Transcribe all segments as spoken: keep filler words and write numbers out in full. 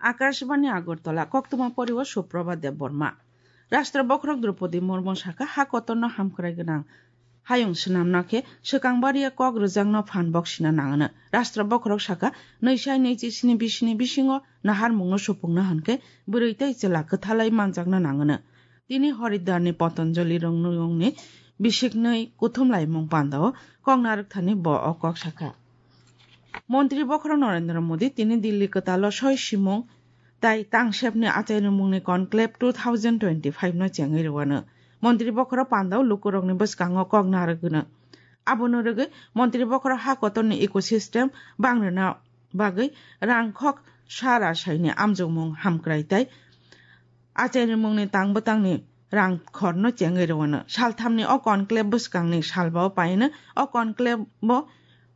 Akashbani Agartala, koktwma poriwo Suprabha Debbarma. Rashtra bokhorok Draupadi Murmu sakha, ha kotorno hamkrai gwnang hayung swnamna khe swkang baria kok rwjakno phan boksina nangano. Rashtra bokhorok sakha, nwi sai nwi chi sni bisini bisingo naharmungno supungna hwnkhe bwrwi tei chwla kwthalai manjakna nangano. Tini Horidarni Patanjali rwngnuyungni bisiknwi kuthum laimung pandao kok narwkthani bo o kok sakha. Montri bokhorok Narendra Modi tini Delhi kwtalo soi simung tai tangsepni achairwngmungni conclave two thousand twenty-five no chengwi rwano. Montri bokhorok pandao lukurokni bwskango kok narwgwno. Abono rwgwi montri bokhorok ha kotorni ecosystem bangrwna bagwi rangkhok sa rasaini amjokmung hamkrai tai achairwngmungni tang bwtangni rang khorno chengwi rwano. Salthamni o conclave bwskangni salbao paino o conclave-o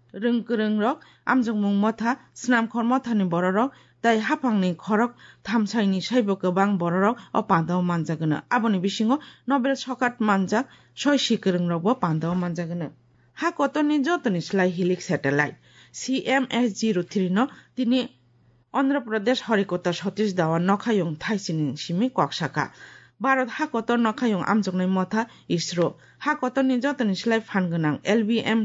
rwngkwrwngrok, amjokmung motha, snamkhor mothani bororok tei haphangni khorok thamsaini saibo kwbang bororok o pandao manjagwno. Aboni bisingo Nobel sokat manjak soi sikwrwngrokbo pandao manjagwno. Ha kotorni jotoni slai hilik satellite C M S zero three no tini Andhra Pradesh Horikota Satish Dhawan nokhayung thaisini simi kok sakha. Bharat ha kotor nokhayung amjoknai motha ISRO. Ha kotorni jotoni slai phan gwnang L V M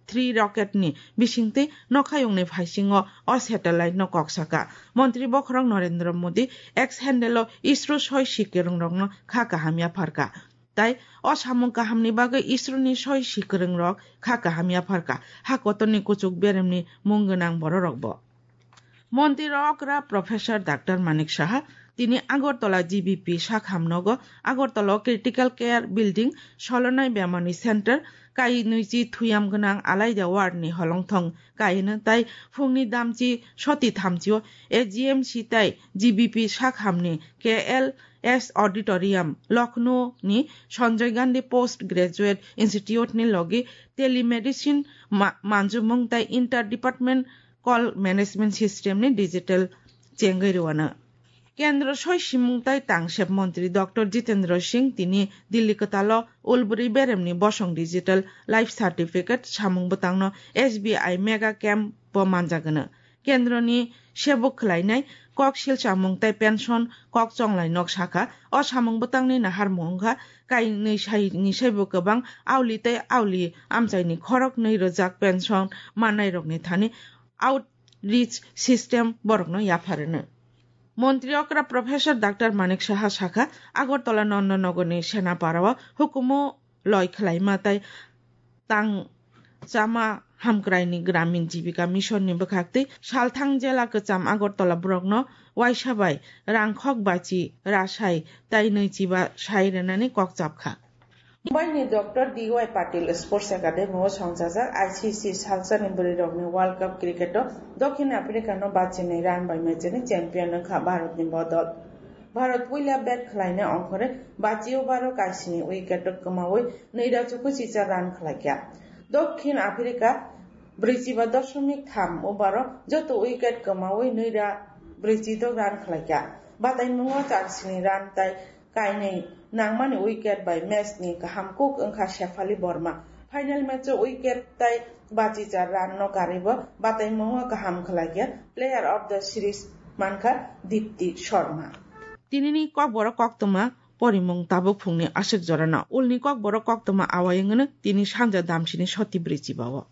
three rocket ni bisingtwi nokhayungni phaisingo o satellite no kok sakha. Montri bokhorok Narendra Modi X handle o ISRO soi sikwrwngrokno kha kaham yapharkha. Tai o samung kahamni bagwi ISRO ni soi sikwrwngrok kha kaham yapharkha. Ha kotorni kuchuk beremni mung gwnang bororokbo. Montri okra Professor Doctor Manik Saha tini Agartala G B P sakham nogo Agartala o Critical Care Building solonai bemani center kai nwichi thuyam gwnang alaida ward ni holongthong kaino tai phungni damchi soti thamchi o A G M C tai G B P sakhamni K L S Auditorium, Lucknow ni Sanjay Gandhi Post Graduate Institute ni logi telemedicine ma-, manjumung tai inter-department call management system ni digital chengwi rwano. Kendro soi simung tai tangsep montri Doctor Jitendra Singh tini Delhi kwtalo ulbri beremni bosong digital life certificate samung bwtangno S B I mega camp bo manjagwno. Kendroni sebuk khwlainai kok silchamung tei pension kok chonglai nok sakha. O samung bwtangni naharmung wngkha kainwi sai ni saibo kwbang auli tei auli amchaini khorok nwi rwjak pension mannairokni thani outreach system borokno yapharwno. Montri okra Professor Doctor Manik Saha sakha, Agartala Nandanagarni Senapara o hukumu loi khwlaima tai tang chama hamkraini Gramin Jibika Mission ni bwkhaktwi salthang jela kwcham Agartala borokno waisa bai rangkhok bachi rasai tai nwichiba sai rwnani kok chapkha. Mumbai ni Doctor D Y Patil Sports Academy o songchajak I C C salsani bwrwirokni World Cup cricket o Dokhin Africa no bachinai run bai match ni champion wngkha Bharat ni bodol. Bharat puila bat khwlaina ongkhorwi bachi over o kaisini wicket o kwmawi nwida chukuchicha run khwlaikha. Dokhin Africa brwichiba dosomik tham over o joto wicket kwmawi nwida brwichidok run khwlaikha. Bataimungo charsini run tai kainwi nangmani wicket bai match ni kaham kuk wngkha Shefali Verma. Final match o wicket tai bachicha run no karwibo bataimungo kaham khwlaikha. Player of the series mankha Dipti Sharma. Tinini kokborok koktwma porimung tabuk phungni aswk jorano. Ulni kokborok koktwma awai wngno tini sanja damsini soti brwichibao.